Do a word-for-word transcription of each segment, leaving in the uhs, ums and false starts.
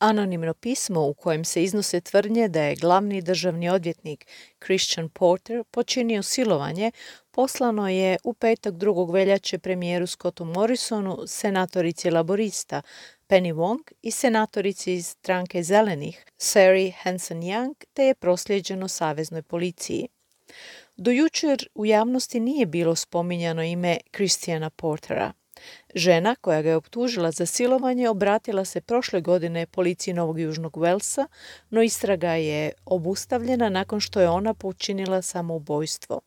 Anonimno pismo u kojem se iznose tvrdnje da je glavni državni odvjetnik Christian Porter počinio silovanje poslano je u petak drugog veljače premijeru Scottu Morrisonu, senatorici laborista Penny Wong i senatorici iz stranke zelenih Sari Hanson-Young, te je proslijeđeno saveznoj policiji. Do jučer u javnosti nije bilo spominjano ime Christiana Portera. Žena koja ga je optužila za silovanje obratila se prošle godine policiji Novog Južnog Walesa, no istraga je obustavljena nakon što je ona počinila samoubojstvo.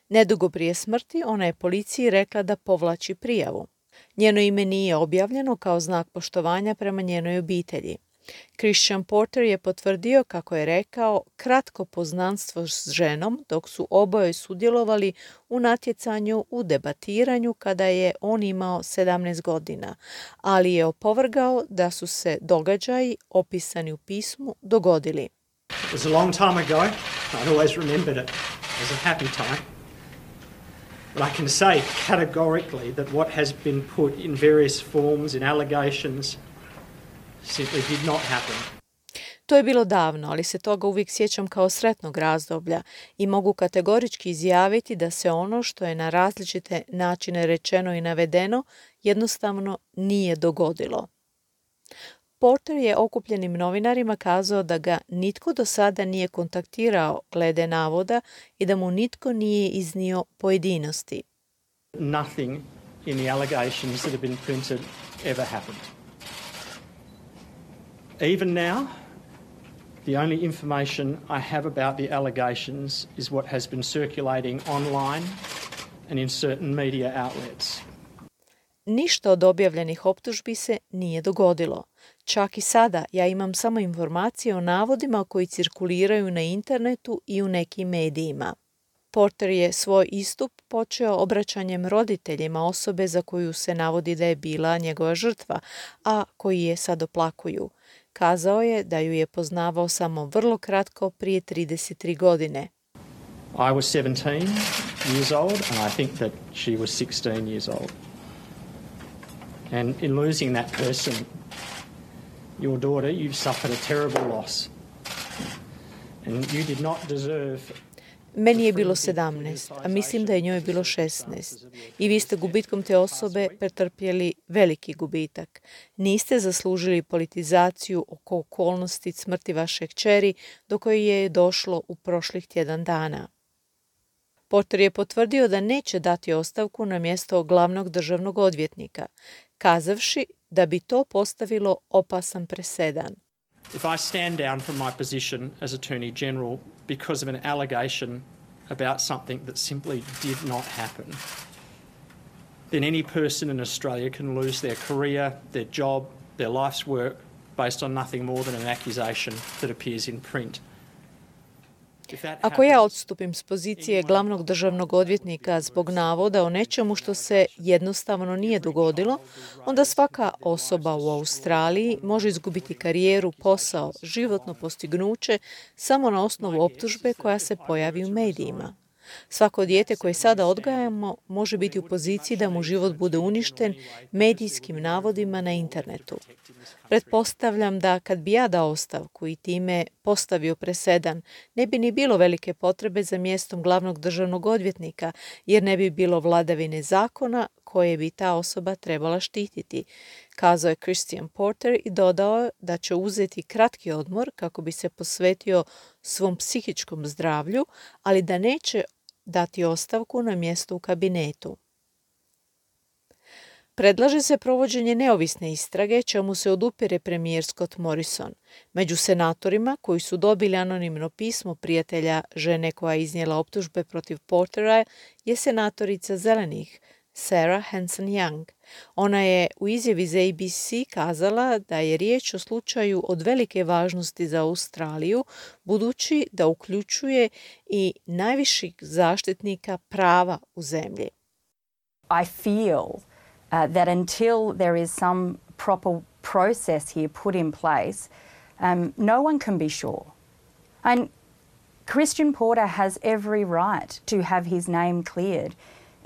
Nedugo prije smrti ona je policiji rekla da povlači prijavu. Njeno ime nije objavljeno kao znak poštovanja prema njenoj obitelji. Christian Porter je potvrdio, kako je rekao, kratko poznanstvo s ženom dok su oboje sudjelovali u natjecanju u debatiranju kada je on imao sedamnaest godina, ali je opovrgao da su se događaji opisani u pismu dogodili. It was a long time ago. I'd always remembered it as a happy time. But I can say categorically that what has been put in various forms, in allegations, simply did not happen. To je bilo davno, ali se toga uvijek sjećam kao sretnog razdoblja i mogu kategorički izjaviti da se ono što je na različite načine rečeno i navedeno jednostavno nije dogodilo. Porter je okupljenim novinarima kazao da ga nitko do sada nije kontaktirao glede navoda i da mu nitko nije iznio pojedinosti. Nothing in the allegations that have been printed ever happened. Even now, the only information I have about the allegations is what has been circulating online and in certain media outlets. Ništa od objavljenih optužbi se nije dogodilo. Čak i sada ja imam samo informacije o navodima koji cirkuliraju na internetu i u nekim medijima. Porter je svoj istup počeo obraćanjem roditeljima osobe za koju se navodi da je bila njegova žrtva, a koji je sad oplakuju. Kazao je da ju je poznavao samo vrlo kratko prije trideset tri godine. I was seventeen years old and I think that she was sixteen years old. And in losing that person, your daughter, you've suffered a terrible loss. And you did not deserve. Meni je bilo sedamnaest, a mislim da je njoj bilo šesnaest. I vi ste gubitkom te osobe pretrpjeli veliki gubitak. Niste zaslužili politizaciju oko okolnosti smrti vaše kćeri do koje je došlo u prošlih tjedan dana. Porter je potvrdio da neće dati ostavku na mjesto glavnog državnog odvjetnika, kazavši da bi to postavilo opasan presedan. If I stand down from my position as Attorney General because of an allegation about something that simply did not happen, then any person in Australia can lose their career, their job, their life's work based on nothing more than an accusation that appears in print. Ako ja odstupim s pozicije glavnog državnog odvjetnika zbog navoda o nečemu što se jednostavno nije dogodilo, onda svaka osoba u Australiji može izgubiti karijeru, posao, životno postignuće samo na osnovu optužbe koja se pojavi u medijima. Svako dijete koje sada odgajamo može biti u poziciji da mu život bude uništen medijskim navodima na internetu. Pretpostavljam da kad bi ja dao ostavku i time postavio presedan, ne bi ni bilo velike potrebe za mjestom glavnog državnog odvjetnika, jer ne bi bilo vladavine zakona koje bi ta osoba trebala štititi, kazao je Christian Porter i dodao da će uzeti kratki odmor kako bi se posvetio svom psihičkom zdravlju, ali da neće dati ostavku na mjesto u kabinetu. Predlaže se provođenje neovisne istrage, čemu se odupire premijer Scott Morrison. Među senatorima koji su dobili anonimno pismo prijatelja žene koja je iznijela optužbe protiv Portera je senatorica zelenih Sara Hanson-Young. Ona je u izjavi za A B C kazala da je riječ o slučaju od velike važnosti za Australiju, budući da uključuje i najviših zaštitnika prava u zemlji. I feel uh, that until there is some proper process here put in place, um, no one can be sure. And Christian Porter has every right to have his name cleared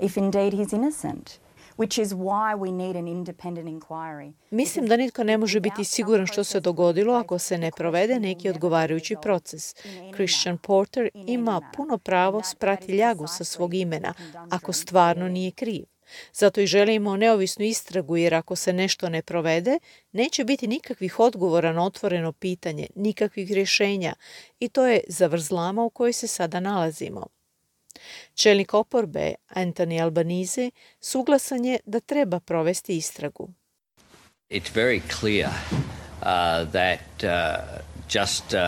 if indeed he's innocent. which is why we need an independent inquiry. Mislim da nitko ne može biti siguran što se dogodilo ako se ne provede neki odgovarajući proces. Christian Porter ima puno pravo sprati ljagu sa svog imena ako stvarno nije kriv. Zato i želimo neovisnu istragu, jer ako se nešto ne provede, neće biti nikakvih odgovora na otvoreno pitanje, nikakvih rješenja, i to je zavrzlama u kojoj se sada nalazimo. Čelnik oporbe Anthony Albanese suglasan je da treba provesti istragu. It's very clear uh, that uh, just uh,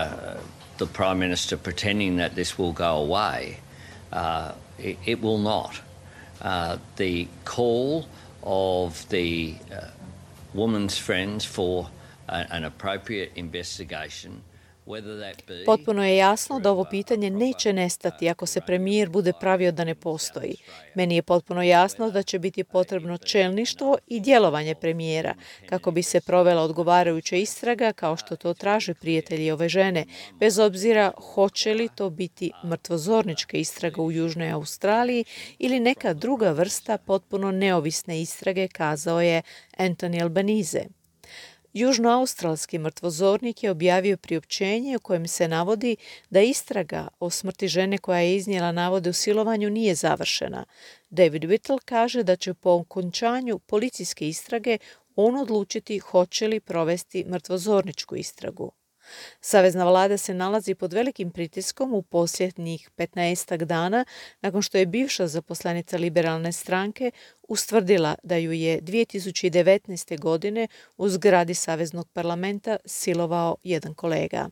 the Prime Minister pretending that this will go away, uh, it, it will not. Uh, the call of the uh, woman's friends for a, an appropriate investigation. Potpuno je jasno da ovo pitanje neće nestati ako se premijer bude pravio da ne postoji. Meni je potpuno jasno da će biti potrebno čelništvo i djelovanje premijera kako bi se provela odgovarajuća istraga, kao što to traže prijatelji ove žene, bez obzira hoće li to biti mrtvozornička istraga u Južnoj Australiji ili neka druga vrsta potpuno neovisne istrage, kazao je Anthony Albanese. Južnoaustralski mrtvozornik je objavio priopćenje u kojem se navodi da istraga o smrti žene koja je iznijela navode o silovanju nije završena. David Whittle kaže da će po okončanju policijske istrage on odlučiti hoće li provesti mrtvozorničku istragu. Savezna vlada se nalazi pod velikim pritiskom u posljednjih petnaestak dana nakon što je bivša zaposlenica liberalne stranke ustvrdila da ju je dvije tisuće devetnaeste. godine u zgradi Saveznog parlamenta silovao jedan kolega.